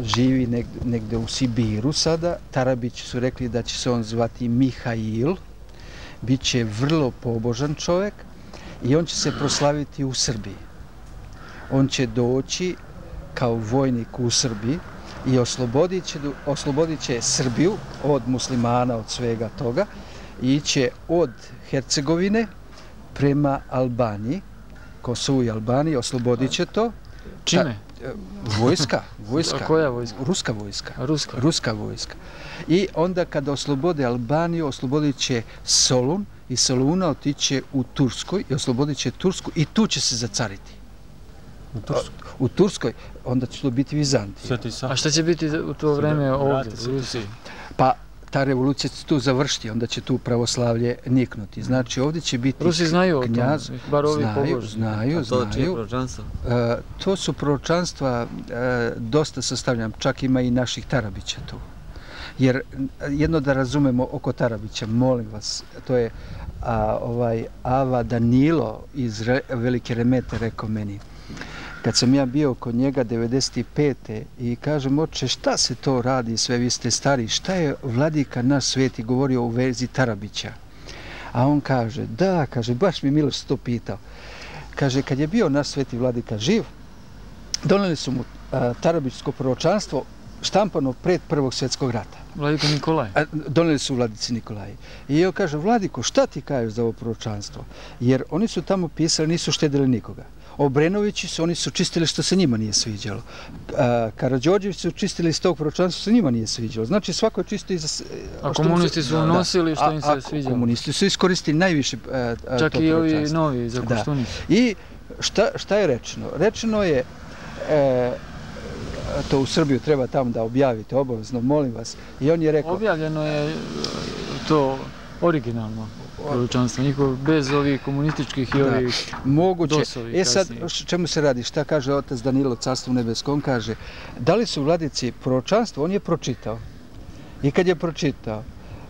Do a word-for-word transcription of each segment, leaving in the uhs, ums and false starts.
živi negde, negde u Sibiru sada. Tarabići su rekli da će se on zvati Mihail, bit će vrlo pobožan čovjek i on će se proslaviti u Srbiji. On će doći kao vojnik u Srbiji i oslobodit će, oslobodit će Srbiju od muslimana, od svega toga, i će od Hercegovine prema Albaniji, Kosovu i Albaniji, oslobodit će to. Čime? Ta, vojska, vojska. A koja vojska? Ruska vojska. Ruska? Ruska vojska. I onda kada oslobode Albaniju, oslobodit će Solun i Soluna otiće u Turskoj i oslobodit će Tursku i tu će se zacariti. U Turskoj? U Turskoj, onda će to biti Vizantija. A šta će biti u to vreme ovdje, u Rusiji? Pa ta revolucija će tu završiti, onda će tu pravoslavlje niknuti. Znači ovdje će biti Rusi znaju knjaz, o tom, bar ovi znaju, pobožni. znaju, A to znaju. čije proročanstvo? E, to su proročanstva, e, dosta sastavljam, čak ima i naših Tarabića tu. Jer jedno da razumemo oko Tarabića, molim vas, to je a, ovaj Ava Danilo iz Re, Velike Remete rekao meni, kad sam ja bio kod njega devedeset pete i kažem, oče, šta se to radi, sve vi ste stari, šta je vladika naš sveti govorio u vezi Tarabića? A on kaže, da, kaže, baš mi Miloš to pitao. Kaže, kad je bio naš sveti vladika živ, doneli su mu a, Tarabićsko proročanstvo štampano pred Prvog svjetskog rata. Vladiko Nikolaj? A, doneli su vladici Nikolaji. I on kaže, Vladiko, šta ti kažeš za ovo proročanstvo? Jer oni su tamo pisali, nisu štedili nikoga. Obrenovići su, oni su čistili što se njima nije sviđalo. Karađorđevići su čistili iz tog proročanstva što se njima nije sviđalo. Znači svako je čisto i za... A komunisti su unosili što im se sviđalo? Komunisti su iskoristili najviše a, a, čak to i ovi novi za Koštunicu. I šta, šta je rečeno? Rečeno je, e, to u Srbiju treba tamo da objavite, obavezno, molim vas. I on je rekao... Objavljeno je to originalno proročanstvo, njihov bez ovih komunističkih i ovih moguće. dosovih. E sad, čemu se radi? Šta kaže otac Danilo, carstvo nebesko? On kaže, da li su vladici proročanstvo? On je pročitao. I kad je pročitao,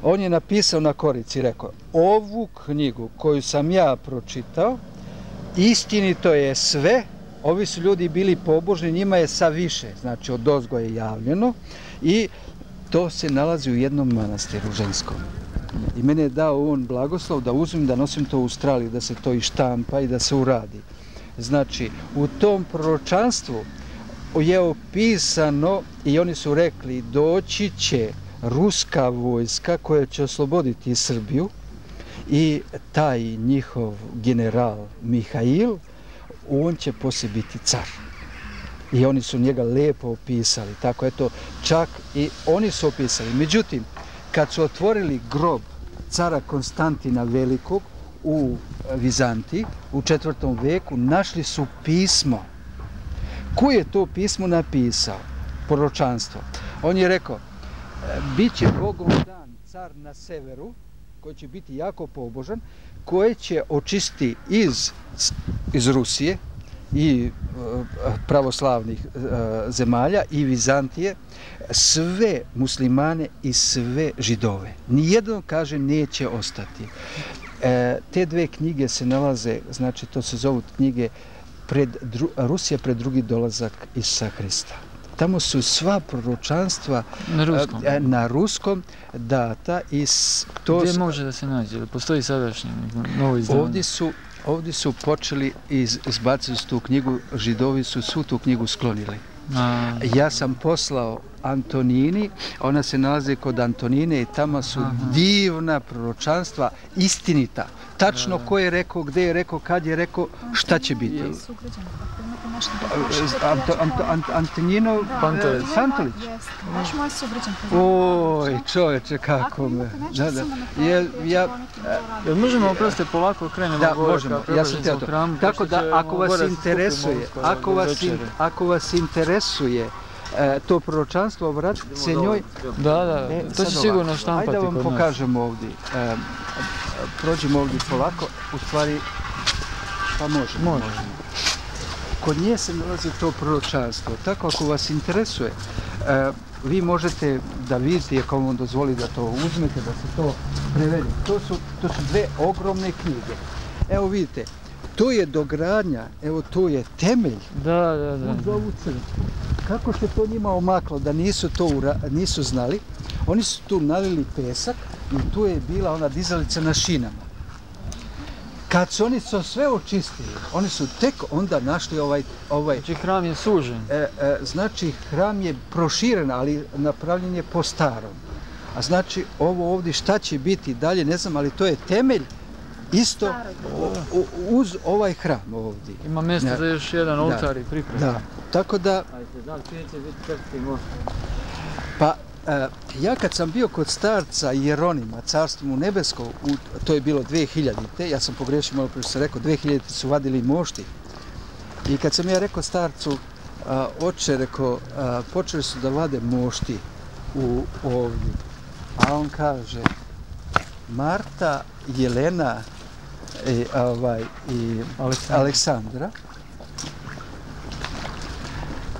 on je napisao na korici i rekao, ovu knjigu koju sam ja pročitao, istinito je sve, ovi su ljudi bili pobožni, njima je sa više, znači od ozgo je javljeno i to se nalazi u jednom manastiru ženskom. I mene je dao on blagoslov da uzmem, da nosim to u Australiji, da se to i štampa i da se uradi. Znači, u tom proročanstvu je opisano i oni su rekli doći će ruska vojska koja će osloboditi Srbiju i taj njihov general Mihail, on će poslije biti car. I oni su njega lijepo opisali. Tako eto, čak i oni su opisali. Međutim, kad su otvorili grob cara Konstantina Velikog u Vizantiji u četvrtom veku, našli su pismo. Ko je to pismo napisao? Proročanstvo. On je rekao, bit će Bogom dan car na severu, koji će biti jako pobožan, koji će očistiti iz, iz Rusije i pravoslavnih zemalja i Vizantije sve muslimane i sve židove. Nijedno, kaže, neće ostati. E, te dve knjige se nalaze, znači to se zovu knjige pred, dru, Rusija pred drugi dolazak Isusa Hrista. Tamo su sva proročanstva na ruskom, a, na ruskom data. I to gdje može da se nađe? Postoji sadašnje novo izdanje? Ovdje su, ovdje su počeli iz, izbaciti tu knjigu, židovi su svu tu knjigu sklonili. A. Ja sam poslao Antonini, ona se nalazi kod Antonine i tamo su Aha. divna proročanstva, istinita. Tačno ko je rekao, gdje je rekao, kad je rekao, šta će biti. Anto, Anto, Anto, Antonino Pantolić. Pantolić. Baš moj sugrađan. Oj, čovječe, kako me. Da, da. Ja, ja, Jel možemo oprostiti polako krenemo da, gore možemo. ka Ja sam htio to. hramu, Tako da, ako vas interesuje, ako vas, in, ako vas interesuje e, to proročanstvo, obratite se njoj. Da, da, e, to će sigurno štampati kod nas. Ajde da vam pokažemo ovdje. E, prođemo ovdje polako, u stvari, pa možemo. Možemo. Kod nje se nalazi to proročanstvo. Tako, ako vas interesuje, e, vi možete da vidite, ako vam dozvoli da to uzmete, da se to prevede. To su, to su dve ogromne knjige. Evo vidite, to je dogradnja, evo to je temelj da, da, da. uz ovu crkvu. kako se to njima omaklo da nisu to ura, nisu znali, oni su tu nalili pesak i tu je bila ona dizalica na šinama. Kad su oni to sve očistili, oni su tek onda našli ovaj... ovaj znači hram je sužen. E, e, znači hram je proširen, ali napravljen je po starom. A znači ovo ovdje šta će biti dalje, ne znam, ali to je temelj isto u, u, uz ovaj hram ovdje. Ima mjesto ja. za još jedan oltar i pripremu. Da, tako da... Pa, e, ja kad sam bio kod starca Jeronima, carstvo mu nebesko, u, to je bilo dve hiljadite, ja sam pogrešio malo prije što sam rekao, dve hiljadite su vadili mošti. I kad sam ja rekao starcu, a, oče, rekao, a, počeli su da vade mošti u ovdje. A on kaže, Marta, Jelena i, ovaj, i Aleksandra. Aleksandra.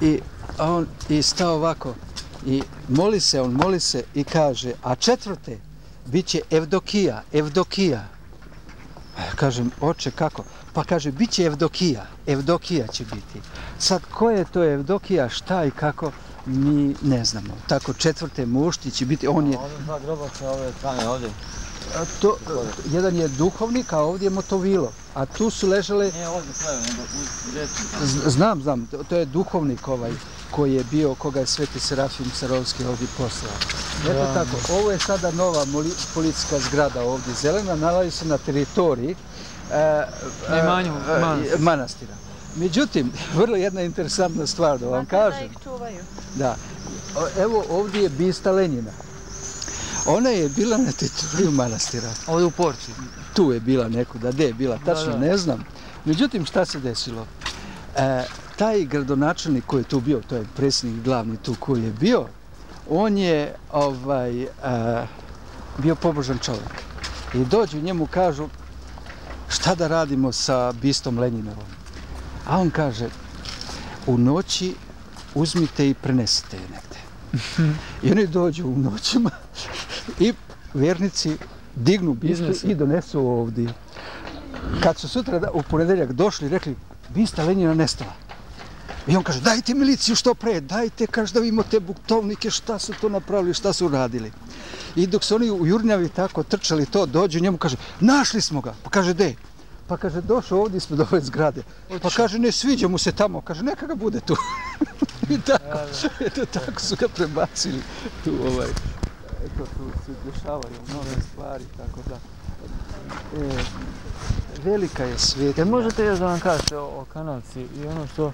I on i stao ovako i moli se, on moli se i kaže, a četvrte bit će Evdokija, Evdokija. Kažem, oče, kako? Pa kaže, bit će Evdokija, Evdokija će biti. Sad, ko je to Evdokija, šta i kako, mi ne znamo. Tako, četvrte mušti će biti, on je... Ovdje dva grobaca ove strane ovdje. To, jedan je duhovnik, a ovdje je motovilo. A tu su ležale... Nije ovdje sve, nego uz djecu. Znam, znam, to je duhovnik ovaj koji je bio, koga je Sveti Serafim Sarovski ovdje poslao. Eto ja. Tako, ovo je sada nova policijska zgrada ovdje, zelena, nalazi se na teritoriji e, e, manju, manastira. manastira. Međutim, vrlo jedna interesantna stvar da vam kažem. Da ih čuvaju. Da, evo ovdje je bista Lenjina. Ona je bila na teritoriju manastira. Ovdje u Porci. Tu je bila nekuda, gdje je bila, tačno da, da. ne znam. Međutim, šta se desilo? E, taj gradonačelnik koji je tu bio, to je predsjednik glavni tu koji je bio, on je ovaj, e, bio pobožan čovjek. I dođu njemu kažu, šta da radimo sa bistom Lenjinovom? A on kaže, u noći uzmite i prenesite je negdje. I oni dođu u noćima i vjernici dignu bistu i donesu ovdje. Kad su sutra u ponedeljak došli, rekli, bista Lenjina nestala. I on kaže, dajte miliciju što pre, dajte, kaže da vidimo te buktovnike, šta su to napravili, šta su radili. I dok su oni u Jurnjavi tako trčali to, dođu njemu, kaže, našli smo ga. Pa kaže, de? Pa kaže, došao ovdje ispred ove zgrade. Pa kaže, ne sviđa mu se tamo, kaže, neka ga bude tu. I tako, eto, tako su ga prebacili tu ovaj. Eto, tu se dešavaju nove stvari, tako da. E, velika je svijet. Jer možete još da vam kažete o, o kanalci i ono što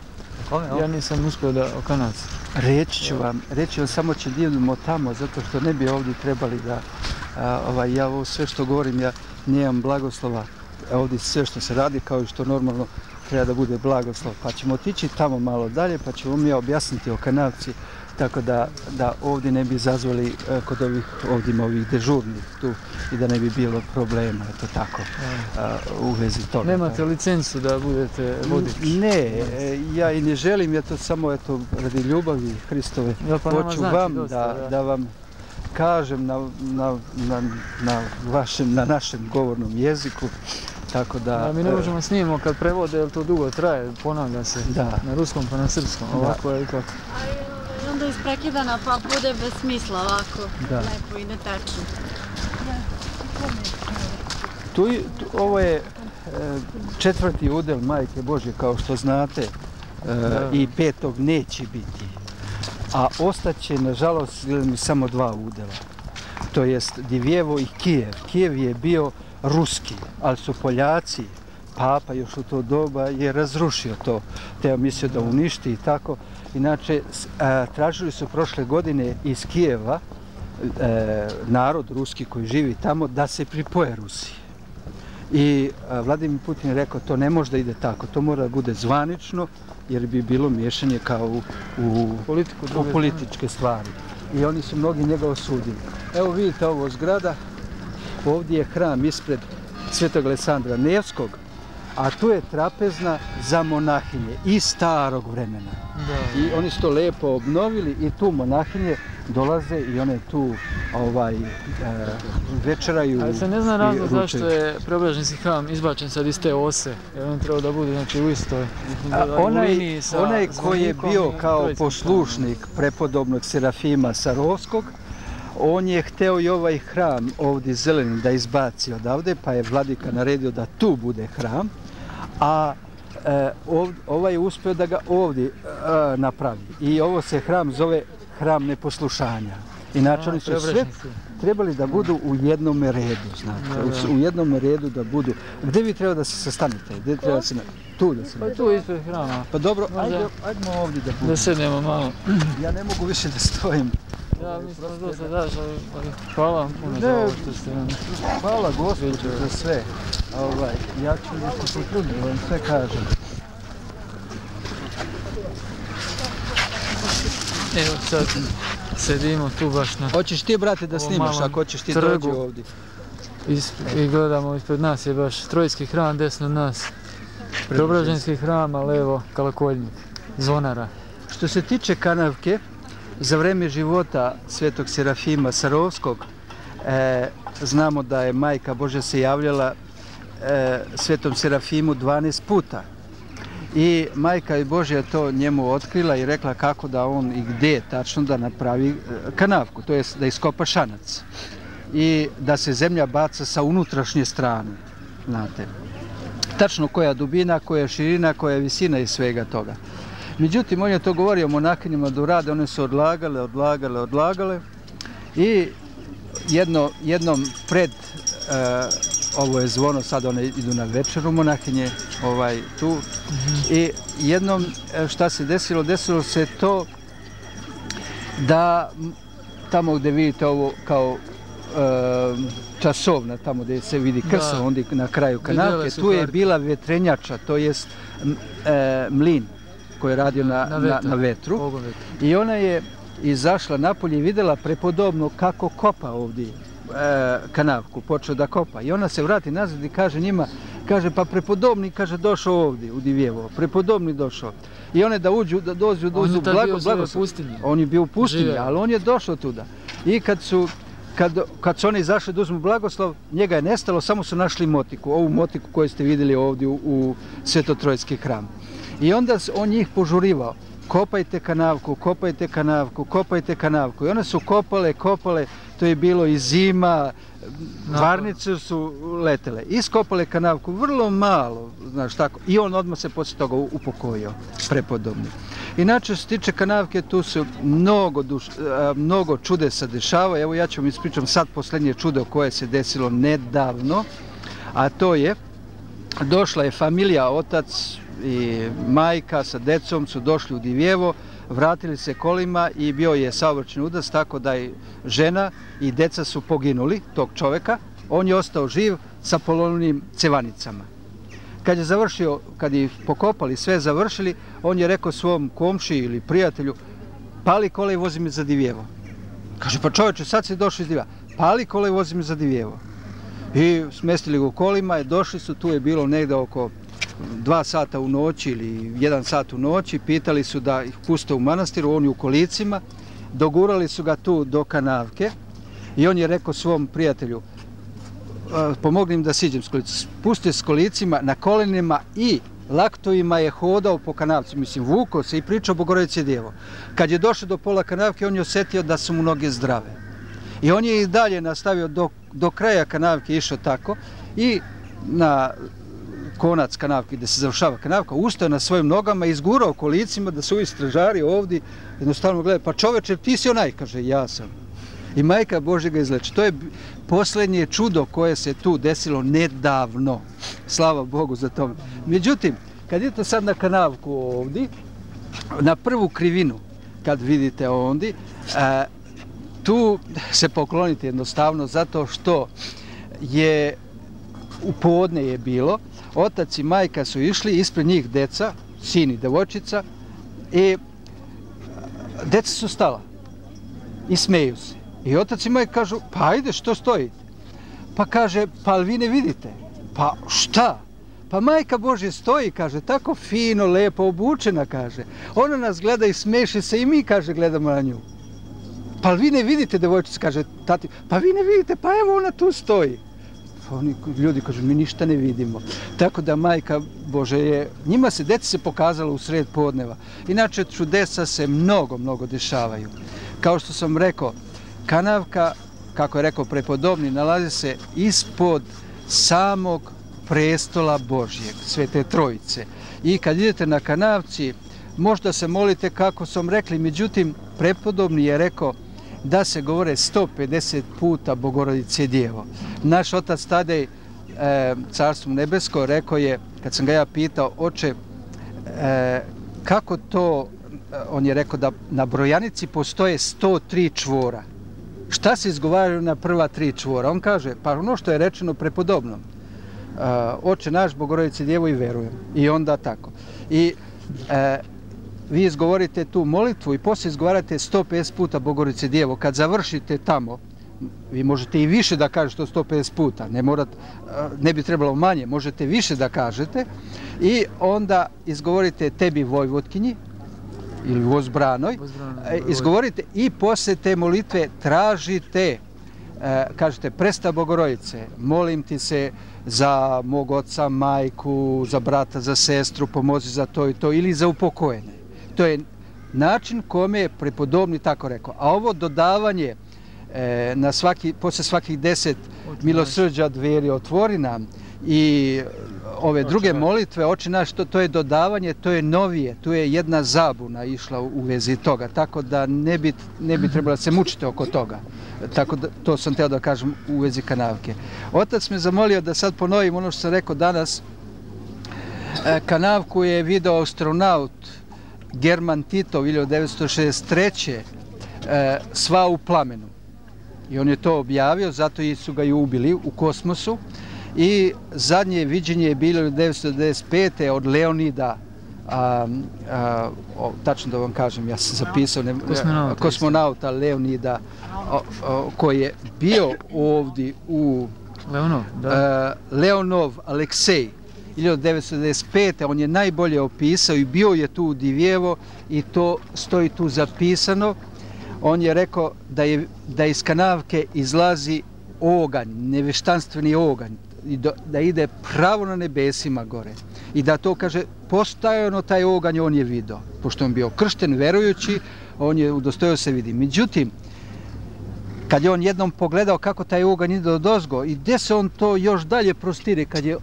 ja nisam uspio da o kanalci. Reći ću vam, reći vam, samo će divimo tamo, zato što ne bi ovdje trebali da, a, ovaj, ja ovo sve što govorim, ja nemam blagoslova. Ovdje sve što se radi, kao i što normalno treba da bude blagoslov. Pa ćemo otići tamo malo dalje, pa ćemo mi objasniti o kanalci, tako da, da ovdje ne bi izazvali kod ovih, ovdje ovih dežurnih tu i da ne bi bilo problema, eto tako, a, u vezi toga. Nemate licencu da budete vodič? Ne, ja i ne želim, ja to samo eto, radi ljubavi Hristove. Ja, pa hoću znači vam dosta, da, da. da vam kažem na, na, na, na, vašem, na našem govornom jeziku. Tako da, da, mi ne možemo snimimo kad prevode, jer to dugo traje, ponavlja se da. na ruskom pa na srpskom, ovako da. je ipak. I onda isprekidana pa bude bez smisla ovako, da. lepo i netačno. Tu, tu, ovo je e, četvrti udel Majke Božje, kao što znate, e, i petog neće biti. A ostaće, nažalost, samo dva udela. To jest Divjevo i Kijev. Kijev je bio ruski, ali su Poljaci, papa još u to doba je razrušio to, teo mislio da uništi i tako. Inače, a, tražili su prošle godine iz Kijeva e, narod ruski koji živi tamo da se pripoje Rusiji. I a, Vladimir Putin je rekao to ne može da ide tako, to mora da bude zvanično jer bi bilo miješanje kao u, u, Politiku, u političke stvari. I oni su mnogi njega osudili. Evo vidite ovo zgrada. Ovdje je hram ispred Svetog Aleksandra Nevskog, a tu je trapezna za monahinje iz starog vremena. Da. I oni su to lepo obnovili i tu monahinje dolaze i one tu ovaj, e, večeraju. Ali se ne zna razlog ručaju. zašto je Preobraženski hram izbačen sad iz te ose, jer on treba da bude znači, u istoj. A, onaj, sa onaj koji je bio zvonikom kao i poslušnik prepodobnog Serafima Sarovskog, on je hteo i ovaj hram ovdje zeleni da izbaci odavde, pa je vladika naredio da tu bude hram, a e, ov, ovaj je uspio da ga ovdje e, napravi. I ovo se hram zove hram neposlušanja. Inače oni su sve trebali da budu u jednom redu, znate, u, u jednom redu da budu. Gdje vi treba da se sastanete? Gdje treba da se... Tu da se... Pa tu ispred hrama. Pa dobro, ajde, ajdemo ovdje da budemo. Da sednemo malo. Ja ne mogu više da stojim. Ja mislim da se daš, ali hvala vam puno za ovo što ste nam... Hvala Gospodu za sve. Ovaj, ja ću da se potrudim, da vam sve kažem. Evo sad sedimo tu baš na... Hoćeš ti, brate, da snimaš, ako hoćeš ti dođi ovdje. I gledamo ispred nas je baš Trojski hram, desno od nas. Preobraženski hram, a levo Kalakoljnik, zvonara. Što se tiče kanavke, za vreme života svetog Serafima Sarovskog, e, znamo da je Majka Božja se javljala e, svetom Serafimu dvanaest puta. I Majka Božja to njemu otkrila i rekla kako da on i gdje tačno da napravi kanavku, to jest da iskopa šanac. I da se zemlja baca sa unutrašnje strane, znate. Tačno koja dubina, koja širina, koja visina i svega toga. Međutim, on je to govorio monakinjima da urade, one su odlagale, odlagale, odlagale i jedno, jednom pred, e, ovo je zvono, sad one idu na večeru monakinje, ovaj, tu, mm-hmm. I jednom šta se desilo, desilo se to da tamo gdje vidite ovo kao e, časovna, tamo gdje se vidi krsa, onda na kraju kanavke, tu je bila vetrenjača, to jest e, mlin koji je radio na, na, na, na vetru. I ona je izašla napolje i vidjela prepodobno kako kopa ovdje e, kanavku, počeo da kopa. I ona se vrati nazad i kaže njima, kaže pa prepodobni, kaže došao ovdje u Divjevo, prepodobni došao. I one da uđu, da dođu, dođu, blago, blago. On je bio u pustinji, Žive. Ali on je došao tuda. I kad su Kad, kad su oni izašli da uzmu blagoslov, njega je nestalo, samo su našli motiku, ovu motiku koju ste vidjeli ovdje u, u Svetotrojski hram. I onda on njih požurivao, kopajte kanavku, kopajte kanavku, kopajte kanavku. I one su kopale, kopale, to je bilo i zima, varnice su letele. Iskopale kanavku, vrlo malo, znaš tako. I on odmah se poslije toga upokojio, prepodobni. Inače, što se tiče kanavke, tu su mnogo, duš, mnogo čudesa dešava. Evo ja ću vam ispričam sad posljednje čudo koje se desilo nedavno, a to je, došla je familija, otac i majka sa decom su došli u Divjevo, vratili se kolima i bio je saobraćajni udar, tako da i žena i deca su poginuli, tog čoveka. On je ostao živ sa polovnim cevanicama. Kad je završio, kad je pokopali, sve završili, on je rekao svom komši ili prijatelju, pali kola i vozi me za Divjevo. Kaže, pa čovječe, sad si došli iz Divjeva. Pali kola i vozi me za Divjevo. I smestili ga u kolima i došli su, tu je bilo negdje oko dva sata u noći ili jedan sat u noći, pitali su da ih puste u manastiru, on je u kolicima, dogurali su ga tu do kanavke i on je rekao svom prijatelju, pomogli im da siđem s kolicima, spustio s kolicima na kolenima i laktovima je hodao po kanavci, mislim, vukao se i pričao Bogorodice Djevo. Kad je došao do pola kanavke, on je osjetio da su mu noge zdrave. I on je i dalje nastavio do, do kraja kanavke, išao tako i na konac kanavke gdje se završava kanavka, ustao na svojim nogama i izgurao kolicima da su ovi stražari ovdje jednostavno gledaju, pa čoveče, ti si onaj, kaže, ja sam. I Majka Božja ga izleči. To je posljednje čudo koje se tu desilo nedavno. Slava Bogu za to. Međutim, kad idete sad na kanavku ovdje, na prvu krivinu, kad vidite ovdje, a, tu se poklonite jednostavno zato što je u podne je bilo, otac i majka su išli, ispred njih deca, sin i devojčica, i deca su stala i smeju se. I otac i majka kažu, pa ajde, što stojite? Pa kaže, pa vi ne vidite? Pa šta? Pa Majka Božja stoji, kaže, tako fino, lepo obučena, kaže. Ona nas gleda i smeši se i mi, kaže, gledamo na nju. pa vi ne vidite, devojčica kaže, tati, pa vi ne vidite, pa evo ona tu stoji. Pa oni ljudi kažu, mi ništa ne vidimo. Tako da Majka Božja je, njima se, deci se pokazalo u sred podneva. Inače, čudesa se mnogo, mnogo dešavaju. Kao što sam rekao, kanavka, kako je rekao prepodobni, nalazi se ispod samog prestola Božjeg, Svete Trojice. I kad idete na kanavci, možda se molite kako sam rekli, međutim, prepodobni je rekao da se govore sto pedeset puta Bogorodice Djevo. Naš otac Tadej, e, Carstvo nebesko, rekao je, kad sam ga ja pitao, oče, e, kako to, on je rekao da na brojanici postoje sto tri čvora. Šta se izgovaraju na prva tri čvora? On kaže, pa ono što je rečeno prepodobnom. E, oče naš, Bogorodice Djevo i verujem. I onda tako. I e, vi izgovorite tu molitvu i poslije izgovarate sto pedeset puta Bogorodice Djevo. Kad završite tamo, vi možete i više da kažete sto pedeset puta, ne, morat, ne bi trebalo manje, možete više da kažete i onda izgovorite tebi Vojvodkinji ili Vozbranoj, izgovorite i poslije te molitve tražite, kažete, presta Bogorodice, molim ti se za mog oca, majku, za brata, za sestru, pomozi za to i to ili za upokojenje. To je način kome je prepodobni tako rekao. A ovo dodavanje e, na svaki, posle svakih deset milosrđa dveri otvori nam i ove druge molitve, oče naš, to, to je dodavanje, to je novije, tu je jedna zabuna išla u, u vezi toga, tako da ne bi, ne bi trebalo se mučiti oko toga. Tako da, to sam teo da kažem u vezi kanavke. Otac me zamolio da sad ponovim ono što sam rekao danas. E, kanavku je video astronaut German Titov hiljadu devetsto šezdeset treće. E, sva u plamenu. I on je to objavio, zato su ga i ubili u kosmosu. I zadnje viđenje je bilo hiljadu devetsto devedeset pete. od Leonida, a, a, o, tačno da vam kažem, ja sam zapisao, ne, kosmonauta, kosmonauta Leonida, o, o, koji je bio ovdje u Leonov, da. A, Leonov Aleksej. hiljadu devetsto devedeset pete. on je najbolje opisao i bio je tu u Divjevo i to stoji tu zapisano. On je rekao da, je, da iz kanavke izlazi oganj, neveštanstveni oganj, i do, da ide pravo na nebesima gore. I da to, kaže, postajano taj oganj on je vidio. Pošto on bio kršten, verujući, on je udostojio se vidi. Međutim, kad je on jednom pogledao kako taj oganj ide odozgo i gdje se on to još dalje prostire, kad je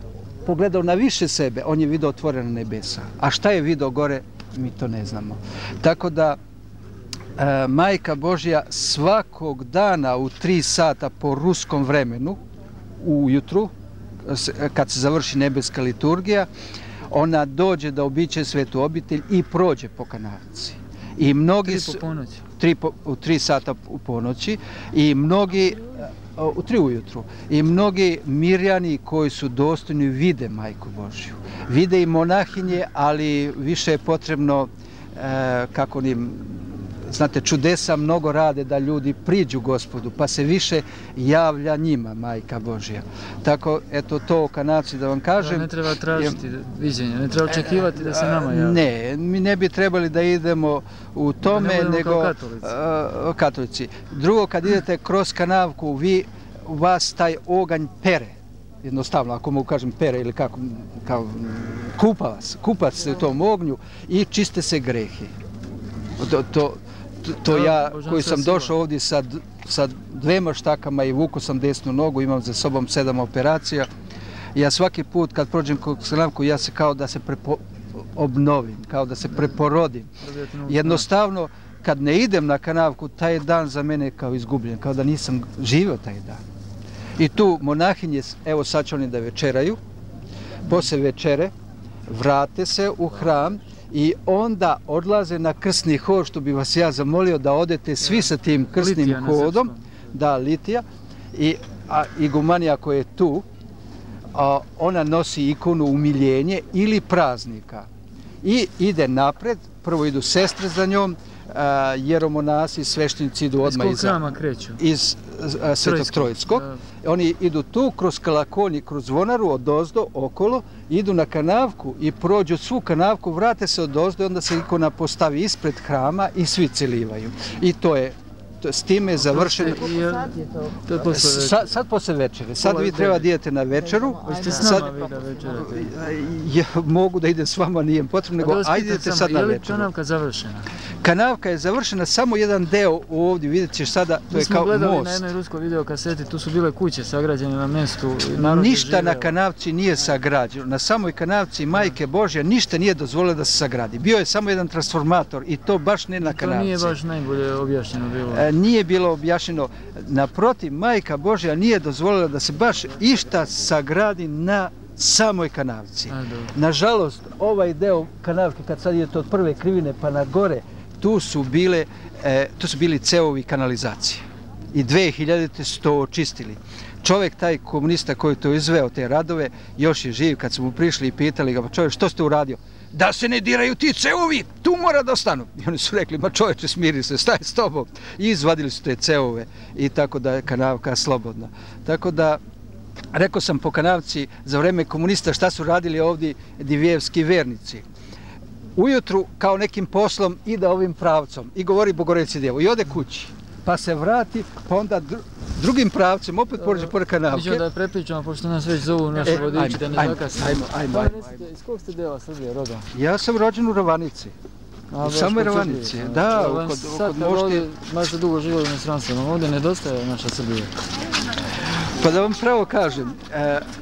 pogledao na više sebe, on je vidio otvorena nebesa. A šta je vidio gore, mi to ne znamo. Tako da, e, Majka Božja svakog dana u tri sata po ruskom vremenu, ujutru, kad se završi nebeska liturgija, ona dođe da običe svetu obitelj i prođe po kanavci. I mnogi tri po ponoći. Tri po, u tri sata u ponoći i mnogi u tri ujutru. I mnogi mirjani koji su dostojni vide Majku Božju. Vide i monahinje, ali više je potrebno, e, kako onim, znate, čudesa mnogo rade da ljudi priđu Gospodu, pa se više javlja njima Majka Božja. Tako, eto, to o kanavci da vam kažem. Da, ne treba tražiti viđenje, ne treba očekivati da se nama javi. Ne, mi ne bi trebali da idemo u tome, da ne nego kao katolici. Uh, katolici. Drugo, kad idete kroz kanavku, vi, vas taj oganj pere. Jednostavno, ako mogu kažem pere ili kako, kao, kupa vas, kupa se u tom ognju i čiste se grehi. To, to, to ja koji sam došao ovdje sa, sa dvema štakama i vuku sam desnu nogu, imam za sobom sedam operacija. Ja svaki put kad prođem kroz kanavku, ja se kao da se prepo, obnovim, kao da se preporodim. Jednostavno, kad ne idem na kanavku, taj dan za mene je kao izgubljen, kao da nisam živio taj dan. I tu monahinje, evo sad će oni da večeraju, posle večere vrate se u hram i onda odlaze na krsni hod, što bi vas ja zamolio da odete svi sa tim krsnim hodom, da, litija, i a, igumanija koja je tu, a, ona nosi ikonu umiljenje ili praznika i ide napred, prvo idu sestre za njom, a, jeromonasi, sveštenici idu odmah iz hrama kreću? Iz a, Svetog Trojskog. Oni idu tu kroz Kalakonji, kroz zvonaru, odozdo, okolo, idu na kanavku i prođu svu kanavku, vrate se odozdo i onda se ikona postavi ispred hrama i svi celivaju. I to je s time je završeno. To je posle večere. Sad, sad posle večere. Sad vi treba da idete na večeru. Hoćete s nama vi da večerate? Ja mogu da idem s vama, nije potrebno, nego ajdete sad na večeru. Je li večeru. kanavka završena? Kanavka je završena, samo jedan deo ovdje, vidjet ćeš sada, to je kao most. Mi smo gledali na jednoj ruskoj videokaseti, tu su bile kuće sagrađene na mjestu. Ništa na kanavci nije sagrađeno. Na samoj kanavci Majke Božje ništa nije dozvolilo da se sagradi. Bio je samo jedan transformator i to baš ne na kanavci. To nije baš najbolje objašnjeno bilo. Nije bilo objašnjeno. Naprotiv, Majka Božja nije dozvolila da se baš išta sagradi na samoj kanavci. Nažalost, ovaj deo kanavke, kad sad idete od prve krivine pa na gore, tu su bile, tu su bili cevovi kanalizacije. I dve hiljadite su to očistili. Čovjek, taj komunista koji to izveo, te radove, još je živ. Kad su mu prišli i pitali ga, pa čovjek, što ste uradio? Da se ne diraju ti cevovi, tu mora da ostanu. I oni su rekli, ma čovječe, smiri se, staj s tobom. I izvadili su te cevove i tako da je kanavka slobodna. Tako da, rekao sam po kanavci, za vreme komunista šta su radili ovdje divijevski vernici. Ujutru, kao nekim poslom, ide ovim pravcom i govori Bogorodici Djevo i ode kući. Pa se vrati, pa onda drugim pravcem, opet pođe pored kanavke. Miđemo da je prepričamo, pošto nas već zovu naše vodiči, da ne zakasimo. Ajmo, ajmo, ajmo. Iz kog ste dela Srbije, rodom? Ja sam rođen u Ravanici. U samoj Ravanici, da, kod Mošti. Sad kad ovdje, baš ste dugo živjeli u inostranstvu, ovdje nedostaje naša Srbija. Pa da vam pravo kažem,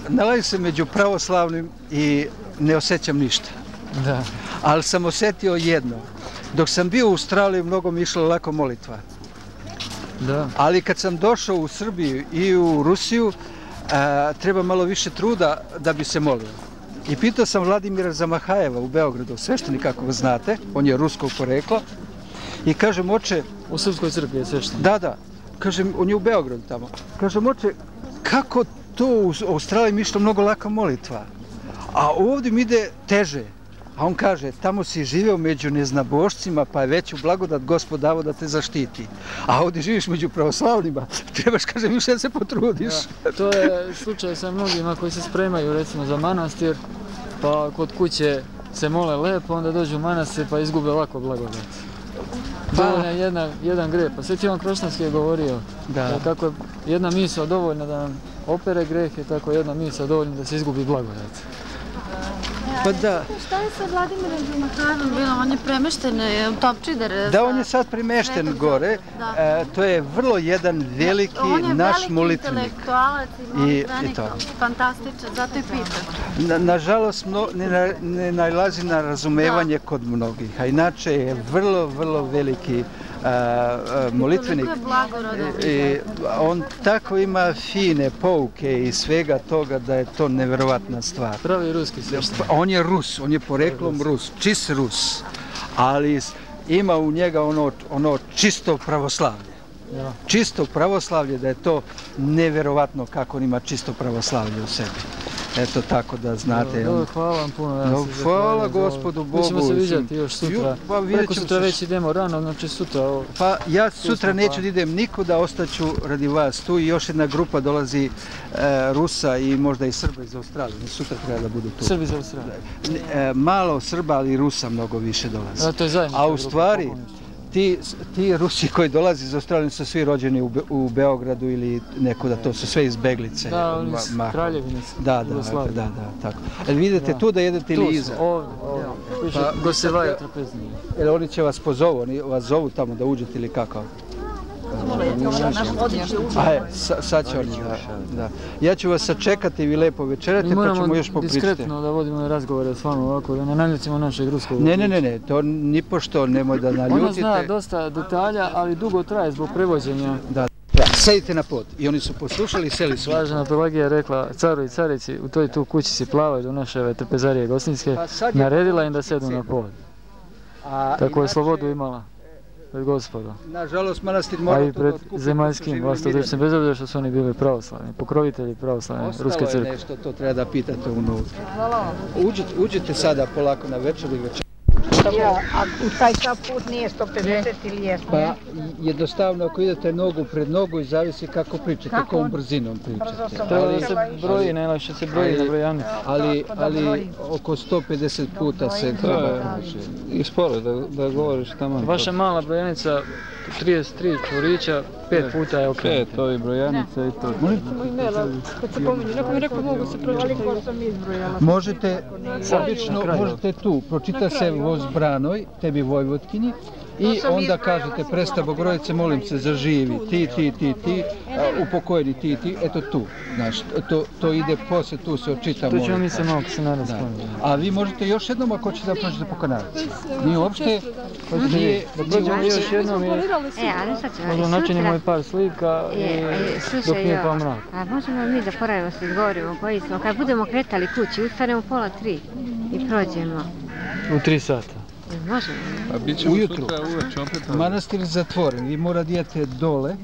nalazim se među pravoslavnim i ne osjećam ništa. Da. Ali sam osjetio jedno. Dok sam bio u Australiji, mnogo mi išla lako molitva. Da. Ali kad sam došao u Srbiju i u Rusiju, a, treba malo više truda da bi se molio. I pitao sam Vladimira Zamahajeva u Beogradu, sveštenik kako ga znate, on je ruskog porekla, i kažem, oče... U Srpskoj crkvi je sveštenik? Da, da. Kažem, on je u Beogradu tamo. Kažem, oče, kako to u Australiji mi išlo mnogo laka molitva, a ovdje mi ide teže. A on kaže, tamo si živeo među neznabošcima, pa je veću blagodat Gospod dao da te zaštiti. A ovdje živiš među pravoslavnima, trebaš, kažem, više da se potrudiš. Ja, to je slučaj sa mnogima koji se spremaju, recimo, za manastir, pa kod kuće se mole lepo, onda dođu u manastir pa izgube lako blagodat. Dovoljno je jedna, jedan greh. Pa Sveti Ivan Kroštanski je govorio da. Kako je jedna misao dovoljna da nam opere grehe, tako jedna misao dovoljna da se izgubi blagodat. Pa da. Šta je sa Vladimirom Zamahajevom bilo? On je premešten u Topčider. Da, on je sad premešten gore. E, to je vrlo jedan veliki naš molitvenik. On je veliki intelektualac i molitvenik. Fantastičan, zato i pitam. Na, nažalost, no, ne, ne nalazi na razumevanje da. Kod mnogih. A inače je vrlo, vrlo veliki a, a, molitvenik. I, i, on tako ima fine pouke i svega toga da je to nevjerovatna stvar. Pravi ruski sveštenik. On je Rus, on je poreklom Rus, čist Rus, ali ima u njega ono, ono čisto pravoslavlje. Ja. Čisto pravoslavlje, da je to nevjerovatno kako on ima čisto pravoslavlje u sebi. Eto tako da znate. Dobro, on... hvala vam puno. Ja no, hvala Gospodu Bogu. Mi ćemo se vidjeti još sutra. Pa, Preko sutra već idemo rano, znači sutra... O... Pa ja sutra neću pa... da idem nikuda, ostaću radi vas tu i još jedna grupa dolazi e, Rusa i možda i Srba iz Australije. Sutra treba da budu tu. Srbi iz Australije? E, malo Srba, ali Rusa mnogo više dolazi. A, to je zajednička A u stvari... Ti, ti Rusi koji dolazi iz Australije su svi rođeni u, Be u Beogradu ili nekuda, to su sve izbeglice. Da, oni iz Kraljevine. Da, da, da, da, tako. E, vidite da. Tu da jedete ili iza? Tu su, ovdje, ovdje. Piše pa, Gosevaju trpeznije. Jer oni će vas pozovu, oni vas zovu tamo da uđete ili kako? Aj, sa, sad će oni, da, da. Ja ću vas sačekati, vi lepo večerate, pa ćemo još popričati. Diskretno da vodimo razgovore s vama ovako, da ne naljutimo našeg ruskog. Ne, ne, ne, ne, to nipošto nemoj da naljutite. Ona zna dosta detalja, ali dugo traje zbog prevođenja. Da. Sedite na pod. I oni su poslušali i seli su. Blažena Pelagija je rekla caru i carici, u toj tu kući si plavaju do naše trpezarije Gostinske, naredila im da sedu na pod. Tako je slobodu imala. Pred Gospodom. Nažalost, manastir mora to da otkupi. A i pred zemaljskim vlastodržcem, bez obzira što su oni bili pravoslavni, pokrovitelji pravoslavne Ruske crkve. Ostalo je nešto, to treba da pitate unutra. Hvala vam. Uđite, uđite sada polako na večer i večer. Ja, a u taj sad put nije sto pedeset ili jesmo? Pa jednostavno ako idete nogu pred nogu i zavisi kako pričate, kojom brzinom pričate. Treba da se broji, najlakše se broji na brojanici. Ali, ali oko sto pedeset puta se treba kaže. I sporo da, da govoriš tamo. Vaša mala brojanica, trideset tri čvorića, pet puta je okrenuta. Pet ovi brojanica i to. Kad se pominju, neko mi rekao mogu se pročitati. Možete, obično možete tu, pročita se voz Branoj, tebi Vojvodkinji, i onda kažete presta Bogorodice, molim se, zaživi, ti, ti, ti, ti, upokojeni ti, ti, eto tu, znaš, to, to ide posle, tu se očita molitva. To ćemo mi se malo se naravno spominjati. A vi možete još jednom ako ćete da prođete po kanalici. Nije uopšte, nije, da prođemo još jednom i način imamo i par slika i dok nije pa mrak. A možemo mi da poravimo se izgovorimo koji smo, kad budemo kretali kući, ustanemo pola tri i prođemo. U tri sata. Možemo. A bit ćemo ujutru. sutra uveče opet. Manastir je zatvoren, vi mora idete dole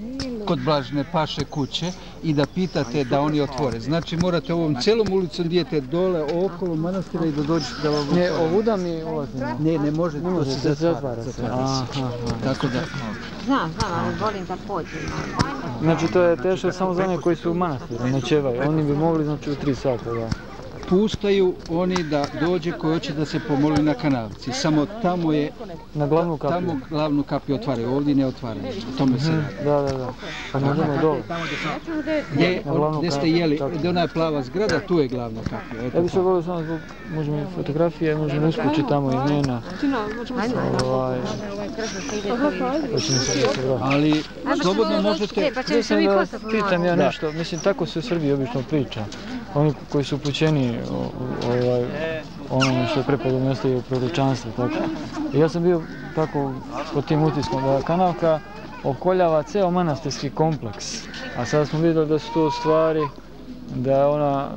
kod Blažene Paše kuće i da pitate da oni otvore. Znači morate ovom celom ulicom idete dole okolo manastira i da dođete da vam Ne, ovuda mi ulazimo. Ne, ne može, to se zatvara. Tako da. Znam, znam, ali volim da pođemo. Znači to je teško samo za one koji su u manastiru, noćevaju. Oni bi mogli znači u tri sata, da. Puštaju oni da dođe koji hoće da se pomoli na kanalici. Samo tamo je, na glavnu kapiju. Tamo glavnu kapiju otvaraju, ovdje ne otvaraju. O tome se radi. Da, da, da. Pa možemo dole. Gdje, gdje ste jeli, gdje ona je plava zgrada, tu je glavna kapija. Ja bih se volio samo zbog, možemo i fotografije, možemo uskočiti tamo imena. Ovaj... Ali slobodno možete... Mislim da pitam ja nešto, mislim tako se u Srbiji obično priča. Oni koji su upućeni ovaj, onome što je prepodobno ostaje u proročanstvu. Tako. I ja sam bio tako pod tim utiskom da kanalka okoljava ceo manastirski kompleks. A sada smo vidjeli da su to stvari, da je ona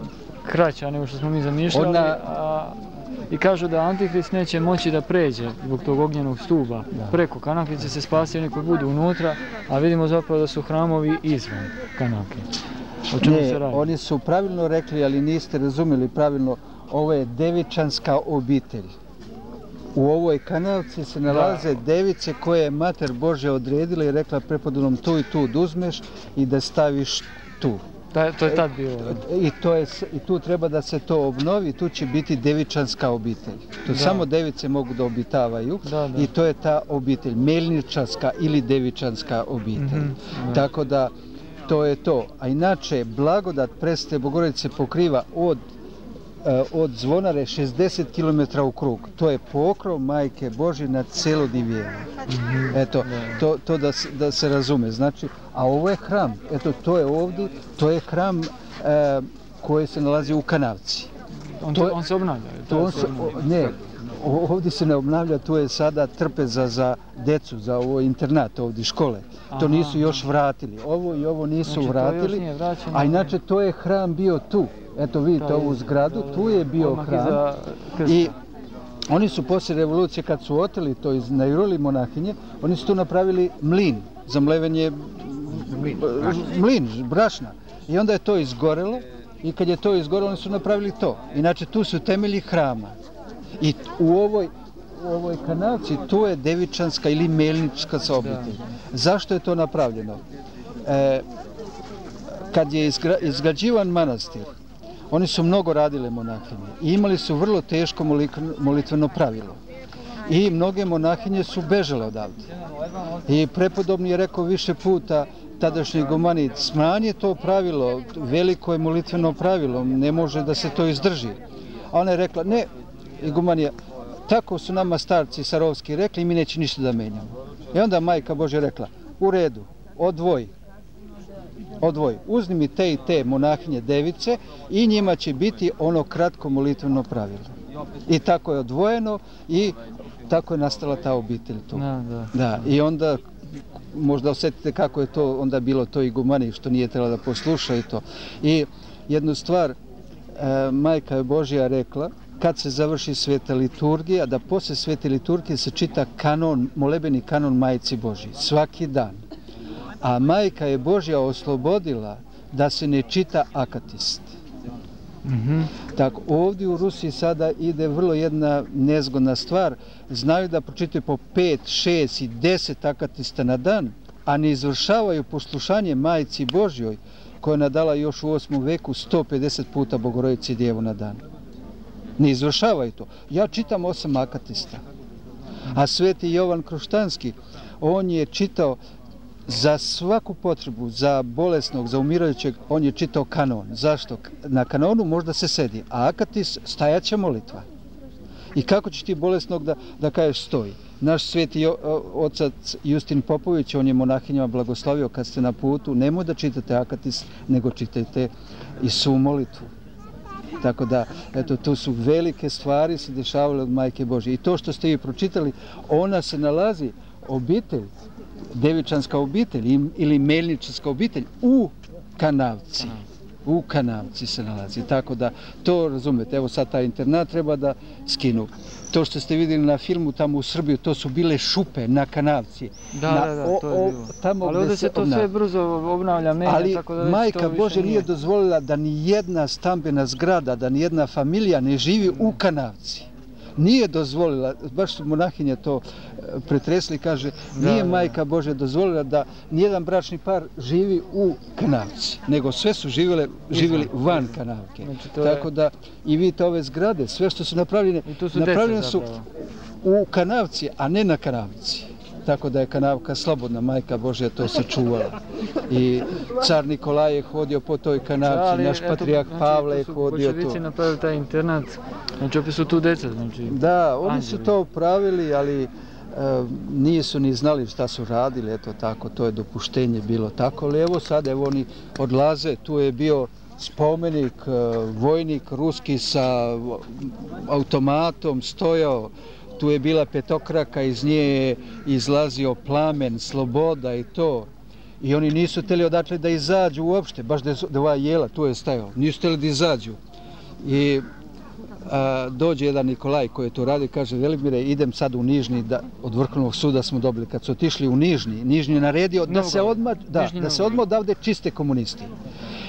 kraća nego što smo mi zamišljali. Ona... A, i kažu da Antihrist neće moći da pređe zbog tog ognjenog stuba. Da. Preko kanalke će se spasiti oni koji budu unutra, a vidimo zapravo da su hramovi izvan kanalke. Ne, oni su pravilno rekli, ali niste razumjeli pravilno, ovo je devičanska obitelj. U ovoj kanalci se nalaze da. device koje je Mater Božja odredila i rekla prepodobnom tu i tu da uzmeš i da staviš tu. Da, to je tad bilo. I, to je, I tu treba da se to obnovi, tu će biti devičanska obitelj. Tu da. samo device mogu da obitavaju da, da. i to je ta obitelj, melničarska ili devičanska obitelj. Mm-hmm. Tako da to je to. A inače, blagodat Presvete Bogorodice pokriva od, uh, od Zvonare šezdeset kilometara u krug. To je pokrov Majke Božje na celo Divijeno. Mm-hmm. Eto, to, to da, da se razume. Znači, a ovo je hram. Eto, to je ovdje, to je hram uh, koji se nalazi u kanavci. On, to je, on se obnavlja? To on se, o, ne, ovdje se ne obnavlja, tu je sada trpeza za decu, za ovo internat ovdje, škole. To nisu još vratili. Ovo i ovo nisu znači, vratili, a inače to je hram bio tu. Eto vidite ovu zgradu, tu je bio hram. I oni su poslije revolucije, kad su oteli to iz najuroli monahinje, oni su tu napravili mlin za mlevenje mlin, brašna. I onda je to izgorelo i kad je to izgorelo, oni su napravili to. Inače tu su temelji hrama. I u ovoj u ovoj kanalci, tu je devičanska ili melnička obitelj. Zašto je to napravljeno? E, kad je izgra, izgrađivan manastir, oni su mnogo radile monahinje i imali su vrlo teško molitveno pravilo. I mnoge monahinje su bežale odavde. I prepodobni je rekao više puta tadašnji igumanit, smanji to pravilo, veliko je molitveno pravilo, ne može da se to izdrži. A ona je rekla, ne, igumanija, tako su nama starci Sarovski rekli i mi neće ništa da menjamo. I onda Majka Božja rekla, u redu, odvoji, odvoji, uzmi mi te i te monahinje device i njima će biti ono kratko molitveno pravilo. I tako je odvojeno i tako je nastala ta obitelj tu. Da, da. Da, i onda možda osjetite kako je to onda bilo to igumani što nije trebalo da posluša i to. I jednu stvar, e, Majka Božja rekla, kad se završi sveta liturgija, da posle svete liturgije se čita kanon, molebeni kanon Majci Božji, svaki dan. A Majka je Božja oslobodila da se ne čita akatist. Mhm. Tako, ovdje u Rusiji sada ide vrlo jedna nezgodna stvar. Znaju da pročitaju po pet, šest i deset akatista na dan, a ne izvršavaju poslušanje Majci Božjoj, koja je nadala još u osmom veku sto pedeset puta Bogorodici Djevu na dan. Ne izvršavaju to. Ja čitam osam akatista. A sveti Jovan Kroštanski, on je čitao za svaku potrebu, za bolesnog, za umirajućeg, on je čitao kanon. Zašto? Na kanonu možda se sedi, a akatis stajaća molitva. I kako ćeš ti bolesnog da, da kažeš stoji? Naš sveti otac Justin Popović, on je monahinjama blagoslovio kad ste na putu, nemoj da čitate akatis, nego čitajte i svu molitvu. Tako da, eto, tu su velike stvari se dešavale od Majke Božje. I to što ste vi pročitali, ona se nalazi, obitelj, Devičanska obitelj ili Melničanska obitelj u Kanavci. U Kanavci se nalazi. Tako da, to razumete. Evo sad taj internat treba da skinu. To što ste vidjeli na filmu tamo u Srbiju, to su bile šupe na Kanavci. Da, na, da, da, to je bilo. Tamo ali ovdje se to sve brzo obnavlja, menja, ali tako da Majka Božja nije dozvolila da ni jedna stambena zgrada, da ni jedna familija ne živi u Kanavci. Nije dozvolila, baš su monahinje to pretresli, kaže, nije Majka Božja dozvolila da nijedan bračni par živi u Kanavci, nego sve su živjeli, živjeli van Kanavke. Znači, tako da i vidite ove zgrade, sve što su napravljene, su napravljene su u Kanavci, a ne na Kanavci. Tako da je Kanavka slobodna, Majka Božja to sačuvala. I car Nikolaj je hodio po toj Kanavci, naš patrijak Pavle je hodio tu. Bolševici napravili taj internat, znači opet su tu deca. Da, oni su to pravili, ali nisu ni znali šta su radili, eto tako, to je dopuštenje bilo tako. Ali evo sad, evo oni odlaze, tu je bio spomenik, vojnik ruski sa automatom stojao, tu je bila petokraka, iz nje je izlazio plamen, sloboda i to. I oni nisu htjeli odatle da izađu uopšte, baš da je ova jela, tu je stajao, nisu htjeli da izađu. I a, dođe jedan Nikolaj koji je to radi, kaže, Velimire, idem sad u Nižni, da, od Vrhovnog suda smo dobili. Kad su otišli u Nižni, Nižni je naredio da se odmah, da, da se odmah odavde čiste komunisti.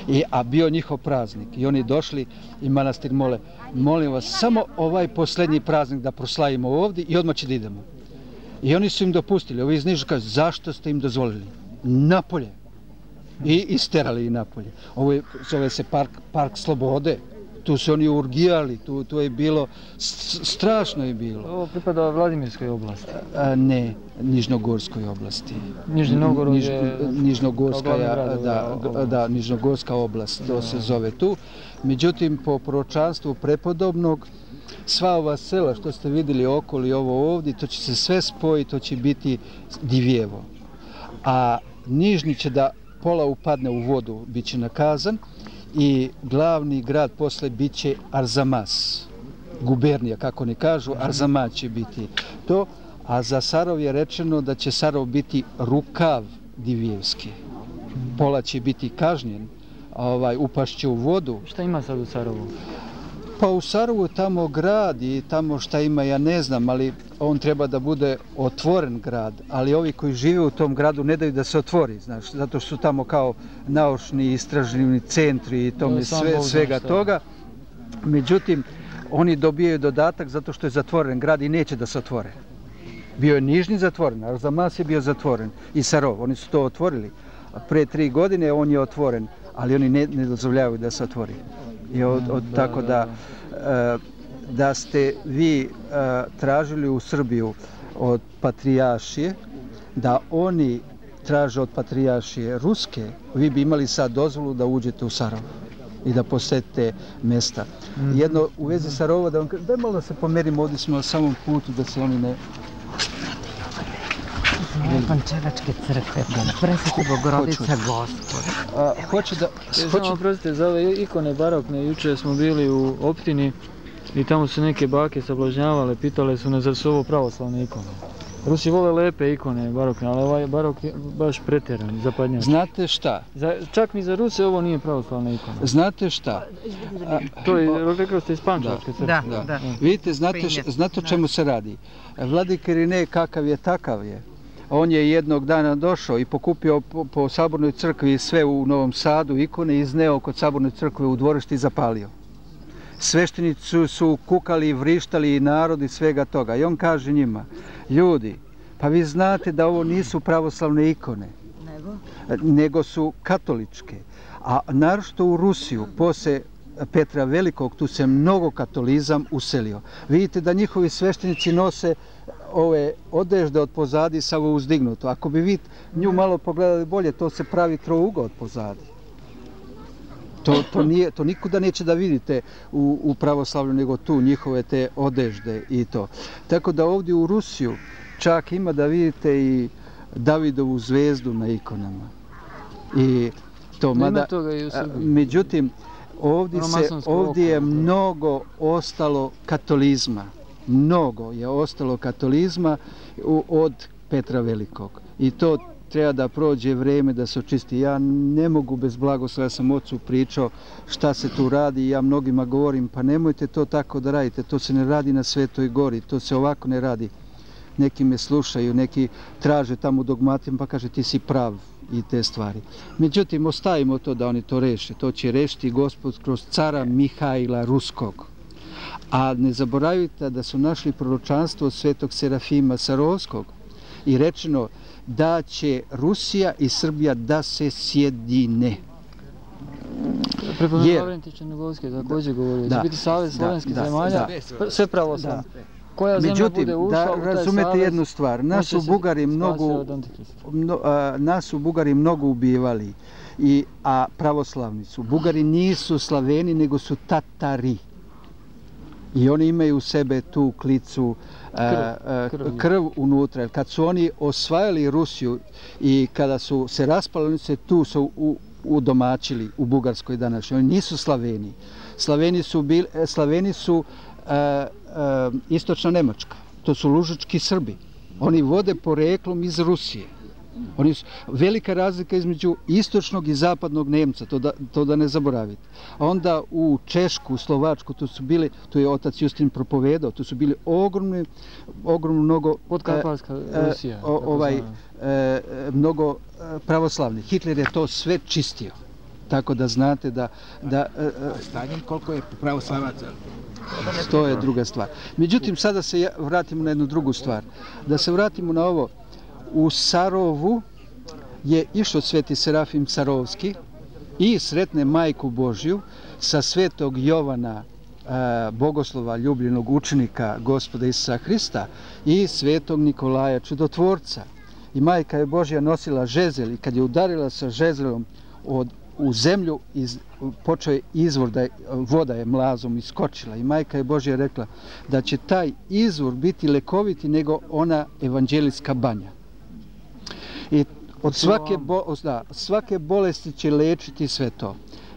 I, a bio njihov praznik. I oni došli i manastir mole, molim vas, samo ovaj posljednji praznik da proslavimo ovdje i odmah će da idemo. I oni su im dopustili. Ovi iz Niža kažu, zašto ste im dozvolili? Napolje. I isterali i napolje. Ovo je, zove se park, park Slobode. Tu su oni urgijali, tu, tu je bilo, strašno je bilo. Ovo pripada Vladimirskoj oblasti? A, ne, Nižnogorskoj oblasti. Nižni Novgorod Niž, je... Nižnogorska, da, da, Nižnogorska oblast, to se zove tu. Međutim, po proročanstvu prepodobnog, sva ova sela što ste vidjeli okoli ovo ovdje, to će se sve spojiti, to će biti Divjevo. A Nižni će da pola upadne u vodu, bit će nakazan. I glavni grad posle bit će Arzamas, gubernija, kako ne kažu, Arzamas će biti to, a za Sarov je rečeno da će Sarov biti rukav Divjevski. Pola će biti kažnjen, ovaj, upašće u vodu. Šta ima sad u Sarovu? Pa u Sarovu tamo grad i tamo šta ima, ja ne znam, ali on treba da bude otvoren grad, ali ovi koji žive u tom gradu ne daju da se otvori, znaš, zato što su tamo kao naučni istražni centri i tome sve, svega toga. Međutim, oni dobijaju dodatak zato što je zatvoren grad i neće da se otvore. Bio je Nižni zatvoren, Arzamas je bio zatvoren i Sarov, oni su to otvorili. Pre tri godine on je otvoren, ali oni ne, ne dozvoljavaju da se otvori. I od, od, tako da, da ste vi tražili u Srbiju od patrijaršije, da oni traže od patrijaršije ruske, vi bi imali sad dozvolu da uđete u Sarov i da posjetite mjesta. Jedno u vezi Sarova, da vam kažem, daj malo da se pomerimo, ovdje smo na samom putu da se oni ne... Pančevačke crkve, presveti Bogorodica Gospoda. Hoće da... Samo oprostite, za ove ikone barokne, juče smo bili u optini i tamo su neke bake sablažnjavale, pitale su nas zar su ovo pravoslavne ikone. Rusi vole lepe ikone barokne, ali ovaj barok je baš pretjeran, zapadnjač. Znate šta? Za, čak ni za Ruse ovo nije pravoslavna ikona. Znate šta? A, to je, rekao ste iz Pančevačke crkve. Da, da, da. Vidite, znate, š, znate o čemu se radi? Vladika Irinej kakav je, takav je. On je jednog dana došao i pokupio po, po Sabornoj crkvi sve u Novom Sadu ikone, izneo kod Sabornoj crkve u dvorište i zapalio. Sveštenici su kukali, vrištali i narod i svega toga. I on kaže njima, ljudi, pa vi znate da ovo nisu pravoslavne ikone, nego, nego su katoličke. A naročito u Rusiju, posle Petra Velikog, tu se mnogo katolizam uselio. Vidite da njihovi sveštenici nose ove odežde od pozadi sa ovo uzdignuto. Ako bi vi nju malo pogledali bolje, to se pravi trouga od pozadi. To, to, nije, to nikuda neće da vidite u, u pravoslavlju, nego tu njihove te odežde i to. Tako da ovdje u Rusiju čak ima da vidite i Davidovu zvezdu na ikonama. I to, mada, međutim, ovdje, se, ovdje je mnogo ostalo katolizma. Mnogo je ostalo katolizma od Petra Velikog. I to treba da prođe vreme da se očisti. Ja ne mogu bez blagoslova, ja sam ocu pričao šta se tu radi i ja mnogima govorim, pa nemojte to tako da radite, to se ne radi na Svetoj gori, to se ovako ne radi. Neki me slušaju, neki traže tamo dogmatima pa kaže ti si prav i te stvari. Međutim, ostavimo to da oni to reše. To će rešiti Gospod kroz cara Mihajla Ruskog. A ne zaboravite da su našli proročanstvo svetog Serafima Sarovskog i rečeno da će Rusija i Srbija da se sjedine. Prepodno Lavrentić Černogovski također govorio, da će biti savez slovenskih zemalja, sve pravoslavno. Koja zemlja Međutim, bude ušla da u taj razumete savez, jednu stvar, nas su Bugari mnogo, mno, a, nas su Bugari mnogo ubivali, i, a pravoslavni su. Bugari nisu Slaveni, nego su Tatari. I oni imaju u sebe tu klicu, a, a, krv, krv unutra. Kad su oni osvajali Rusiju i kada su se raspali, oni se tu su u, udomačili u Bugarskoj današnjoj. Oni nisu Slaveni. Slaveni su, bili, Slaveni su a, a, istočna Nemačka. To su lužički Srbi. Oni vode poreklom iz Rusije. Oni su, velika razlika između istočnog i zapadnog Nemca, to da, to da ne zaboravite. A onda u Češku, u Slovačku, to su bili, to je otac Justin propovedao, to su bili ogromni, ogromno mnogo... Podkarpatska Rusija. O, ovaj, e, mnogo pravoslavni. Hitler je to sve čistio. Tako da znate da... da e, stanjem koliko je pravoslavaca? To je druga stvar. Međutim, sada se vratimo na jednu drugu stvar. Da se vratimo na ovo. U Sarovu je išao sveti Serafim Sarovski i sretne Majku Božju sa svetog Jovana, bogoslova, ljubljenog učenika Gospoda Isusa Hrista, i svetog Nikolaja Čudotvorca. I Majka je Božja nosila žezel i kad je udarila sa žezelom od, u zemlju, iz, počeo je izvor, da je, voda je mlazom iskočila. I Majka je Božja rekla da će taj izvor biti lekoviti nego ona evanđelijska banja. I od svake, bo, da, svake bolesti će lečiti sve to.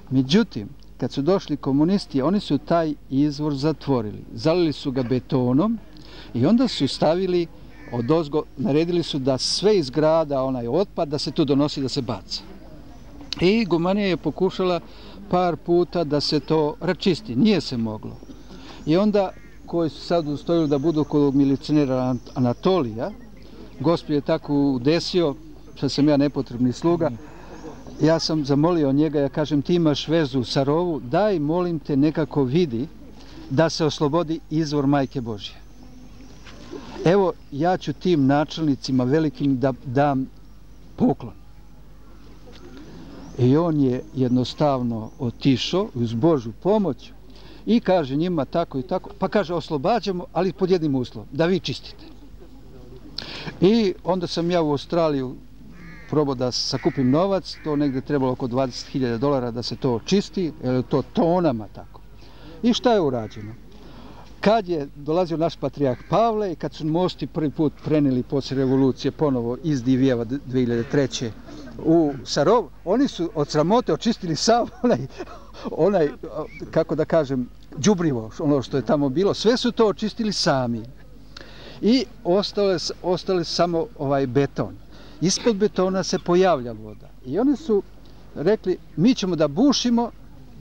Međutim, kad su došli komunisti, oni su taj izvor zatvorili. Zalili su ga betonom i onda su stavili odozgo, naredili su da sve iz grada, onaj otpad, da se tu donosi, da se baca. I Gumanija je pokušala par puta da se to račisti. Nije se moglo. I onda, koji su sad ustojili da budu kod milicionera Anatolija, Gospod je tako udesio, što sam ja nepotrebni sluga, ja sam zamolio njega, ja kažem, ti imaš vezu u Sarovu, daj, molim te, nekako vidi da se oslobodi izvor Majke Božje. Evo, ja ću tim načelnicima velikim da dam poklon. I on je jednostavno otišao uz Božju pomoć i kaže njima tako i tako, pa kaže oslobađamo, ali pod jednim uslovom, da vi čistite. I onda sam ja u Australiju probao da sakupim novac, to negdje trebalo oko dvadeset hiljada dolara da se to očisti, jer je to tonama tako. I šta je urađeno? Kad je dolazio naš patrijarh Pavle i kad su mosti prvi put preneli poslije revolucije ponovo iz Divijeva dvije hiljade treće u Sarov, oni su od sramote očistili sav onaj, onaj, kako da kažem, đubrivo, ono što je tamo bilo, sve su to očistili sami. I ostale, ostale samo ovaj beton. Ispod betona se pojavlja voda. I oni su rekli, mi ćemo da bušimo,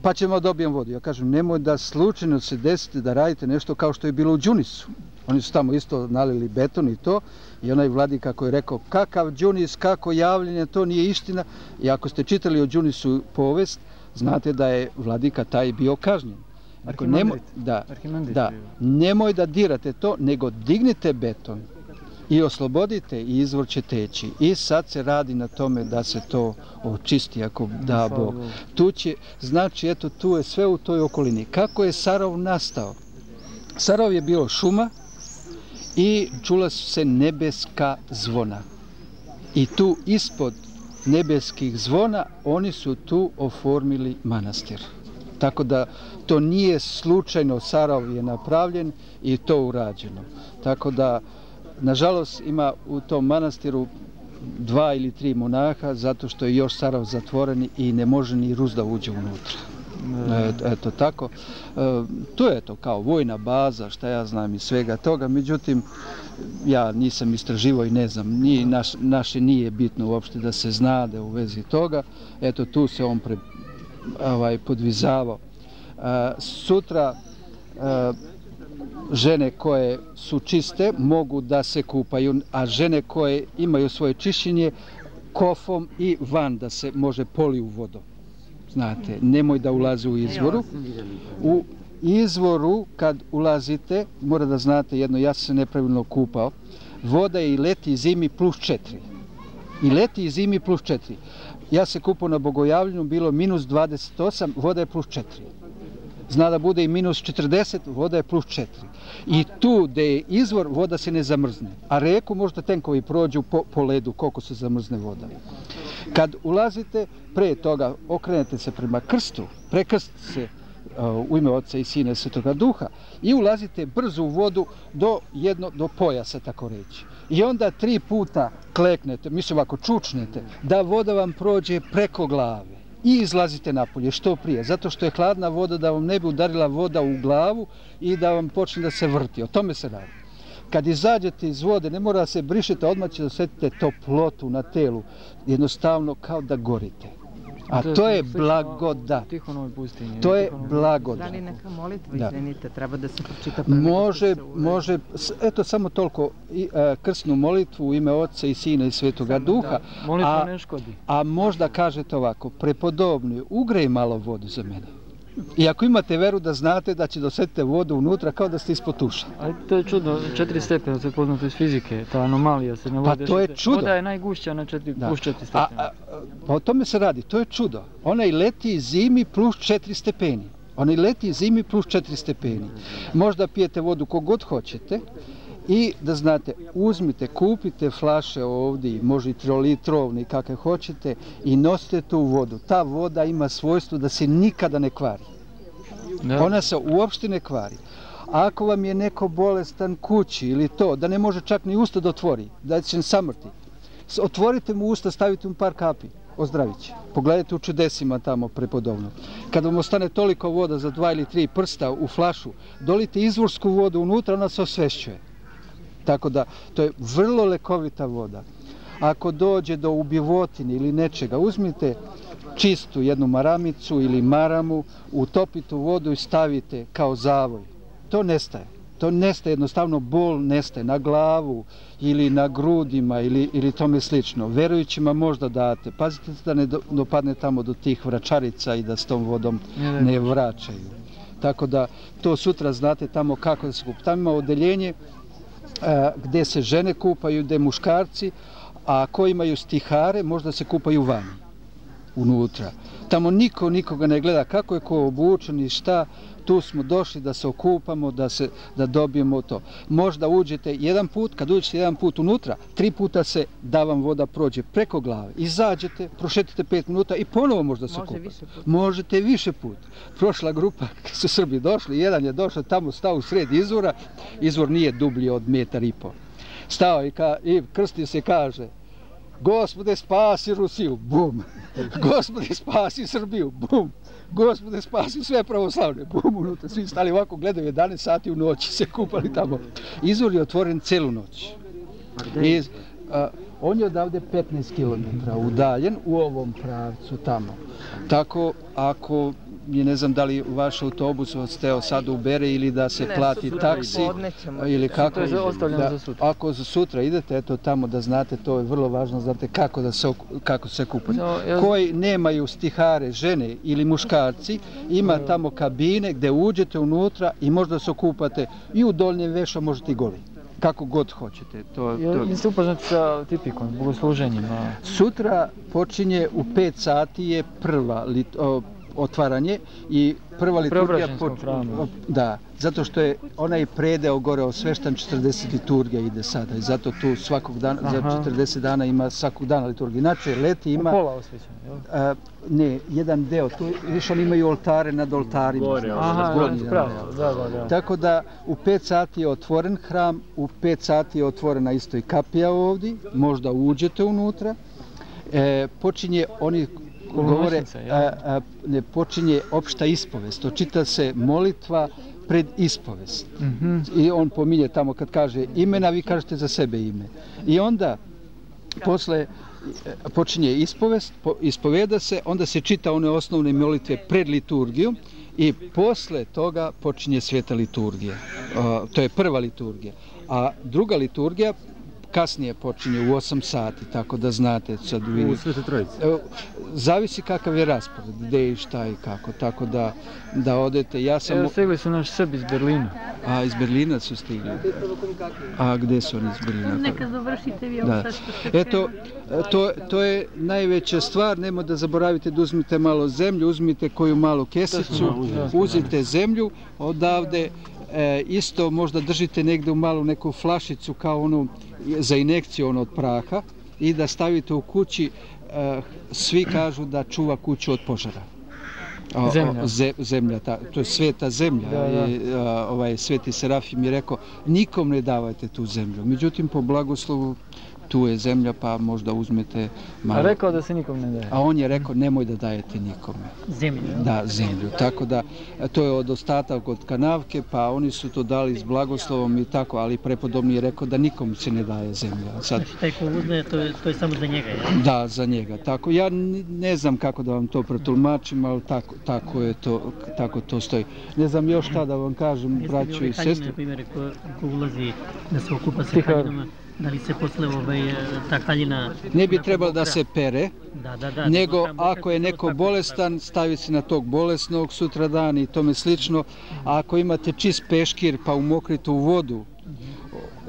pa ćemo dobijemo vodu. Ja kažem, nemoj da slučajno se desite da radite nešto kao što je bilo u Đunisu. Oni su tamo isto nalili beton i to. I onaj vladika koji je rekao, kakav Đunis, kako javljenje, to nije istina. I ako ste čitali o Đunisu povest, znate da je vladika taj bio kažnjen. Ako nemoj, da, da, nemoj da dirate to, nego dignite beton i oslobodite i izvor će teći. I sad se radi na tome da se to očisti ako da Bog. Tu će, znači, eto, tu je sve u toj okolini. Kako je Sarov nastao? Sarov je bio šuma i čula su se nebeska zvona. I tu ispod nebeskih zvona oni su tu oformili manastir. Tako da to nije slučajno, Sarov je napravljen i to urađeno. Tako da, nažalost, ima u tom manastiru dva ili tri monaha, zato što je još Sarov zatvoren i ne može ni Rus da uđe unutra. Eto tako. To je to kao vojna baza, šta ja znam i svega toga, međutim, ja nisam istraživao i ne znam, ni, naš, naše nije bitno uopšte da se zna da u vezi toga. Eto, tu se on pre, ovaj, podvizavao. Sutra žene koje su čiste mogu da se kupaju, a žene koje imaju svoje čišćenje kofom i van da se može poliju vodom. Znate, nemoj da ulazi u izvoru. U izvoru kad ulazite, mora da znate jedno, ja sam se nepravilno kupao, voda je i leti i zimi plus četiri. I leti i zimi plus četiri. Ja se kupao na Bogojavljenju, bilo minus dvadeset osam, voda je plus četiri. Zna da bude i minus četrdeset, voda je plus četiri. I tu gde je izvor, voda se ne zamrzne. A reku možda tenkovi prođu po, po ledu, koliko se zamrzne voda. Kad ulazite, pre toga okrenete se prema krstu, prekrstite se uh, u ime Oca i Sina i Svetoga Duha i ulazite brzo u vodu do, jedno, do pojasa, tako reći. I onda tri puta kleknete, mislim ako čučnete, da voda vam prođe preko glave. I izlazite napolje što prije, zato što je hladna voda da vam ne bi udarila voda u glavu i da vam počne da se vrti. O tome se radi. Kad izađete iz vode, ne mora da se brišete, odmah će da osjetite toplotu na telu. Jednostavno kao da gorite. A to je blagodat. To je blagodat. Da li neka molitva, Da. izvinite, treba da se pročita? Može, može, s- eto samo toliko, i, e, krsnu molitvu u ime Oca i Sina i Svetoga Duha, Molitva a, ne škodi. a možda kažete ovako, prepodobni, ugrej malo vodu za mene. I ako imate veru da znate da će dosetite vodu unutra kao da ste ispod tuša. A to je čudno, četiri stepena, to je poznato iz fizike, ta anomalija se ne Pa vode. to je čudo. Voda je najgušća na četiri, Da. plus četiri A, stepena. a, pa o tome se radi, to je čudo. Onaj leti zimi plus četiri stepeni. Onaj leti zimi plus četiri stepeni. Možda pijete vodu kogod hoćete i da znate, uzmite, kupite flaše ovdje, može i trolitrovne kakve hoćete i nosite tu vodu. Ta voda ima svojstvo da se nikada ne kvari. Da. Ona se uopšte ne kvari. Ako vam je neko bolestan kući ili to, da ne može čak ni usta da otvori, da će samrti, s- otvorite mu usta, stavite mu par kapi, ozdravit će. Pogledajte u čudesima tamo prepodobno. Kad vam ostane toliko voda za dva ili tri prsta u flašu, dolite izvorsku vodu unutra, ona se osvešćuje. Tako da, to je vrlo lekovita voda. Ako dođe do ubivotine ili nečega, uzmite čistu jednu maramicu ili maramu, utopite u vodu i stavite kao zavoj. To nestaje. To nestaje, jednostavno bol nestaje na glavu ili na grudima ili, ili tome slično. Verujućima možda date. Pazite da ne do- dopadne tamo do tih vračarica i da s tom vodom Ne, ne vraćaju. Tako da to sutra znate tamo kako da se kupa. Tamo ima odeljenje a, gde se žene kupaju, gde muškarci, a ako imaju stihare možda se kupaju vani, unutra. Tamo niko nikoga ne gleda kako je ko obučen i šta, tu smo došli da se okupamo, da, se, da dobijemo to. Možda uđete jedan put, kad uđete jedan put unutra, tri puta se da vam voda prođe preko glave. Izađete, prošetite pet minuta i ponovo možda se Može kupate. više puta. Možete više put. Prošla grupa, kad su Srbi došli, jedan je došao tamo, stao u sred izvora, izvor nije dublji od metar i po. Stao i, ka, i krsti se kaže, Gospode spasi Rusiju, bum. Gospode spasi Srbiju, bum. Gospode spasi sve pravoslavne, bum, unutra. Svi stali ovako, gledaju jedanaest sati u noći, se kupali tamo. Izvor je otvoren celu noć. I, a, on je odavde petnaest kilometara udaljen u ovom pravcu tamo. Tako, ako je ne znam da li vaš autobus odsteo sad ubere ili da se plati taksi ili kako. To je ostavljeno za sutra. Ako za sutra idete eto tamo da znate, to je vrlo važno, znate kako da se kako se kupati. Koji nemaju stihare, žene ili muškarci, ima tamo kabine gdje uđete unutra i možda se okupate i u donjem vešu, možete i goli. Kako god hoćete. To, to... Jeste upoznati sa tipikom, bogosluženjima? Sutra počinje u pet sati je prva lit, o, otvaranje i prva liturgija počinje. Da, zato što je onaj predeo gore osveštan, četrdeset liturgija ide sada i zato tu svakog dana, za četrdeset dana ima svakog dana liturgija. Inače, leti ima... Pola osvećan, jel? Ne, jedan deo, tu više oni imaju oltare nad oltarima. Gore, aha, pravo, da, da, da. Tako da u pet sati je otvoren hram, u pet sati je otvorena isto i kapija ovdje, možda uđete unutra. E, počinje, oni govore, a, a, ne, počinje opšta ispovest, očita se molitva pred ispovest. Mm-hmm. I on pominje tamo kad kaže imena, vi kažete za sebe ime. I onda, posle, počinje ispovest, ispoveda se, onda se čita one osnovne molitve pred liturgiju i posle toga počinje sveta liturgija. Uh, to je prva liturgija. A druga liturgija kasnije počinje u osam sati, tako da znate sad vi... U Svete Trojice? Zavisi kakav je raspored, gde i šta i kako, tako da, da odete. Ja sam... Evo, stigli su naš Srbi iz Berlina. A, iz Berlina su stigli. A gde su oni iz Berlina? Neka završite vi ovo sad što ste Eto, to, to je najveća stvar, nemo da zaboravite da uzmite malo zemlju, uzmite koju malu kesicu, uzite zemlju odavde, e, isto možda držite negde u malu neku flašicu kao onu za injekciju ono od praha i da stavite u kući, e, svi kažu da čuva kuću od požara. O, zemlja. O, ze, zemlja, ta, to je sveta zemlja. Da, da. I, a, ovaj, Sveti Serafim je rekao, nikom ne davajte tu zemlju. Međutim, po blagoslovu, tu je zemlja, pa možda uzmete malo. A rekao da se nikom ne daje? A on je rekao, nemoj da dajete nikome. Zemlju? Da, zemlju. Tako da, to je od ostatak od kanavke, pa oni su to dali s blagoslovom i tako, ali prepodobni je rekao da nikom se ne daje zemlja. Sad, znači, taj ko uzme, to je, to je samo za njega, je? Da, za njega. Tako, ja ne znam kako da vam to pretulmačim, ali tako, tako je to, tako to stoji. Ne znam još šta da vam kažem, braću i sestri. Jeste li ove haljine, na primjer, ko, ko ulazi da se okupa sa haljinama? Da li se posle ovaj, ta haljina... Ne bi trebalo da se pere, da, da, da, nego ako je neko bolestan, stavi se na tog bolesnog sutra dan i tome slično. A ako imate čist peškir pa umokrite u vodu,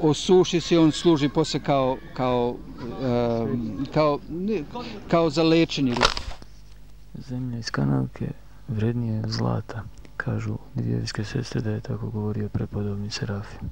osuši se, on služi posle kao, kao, um, kao, ne, kao za lečenje. Zemlja iz kanavke vrednije zlata, kažu dvijevijske sestre da je tako govorio prepodobni Serafim.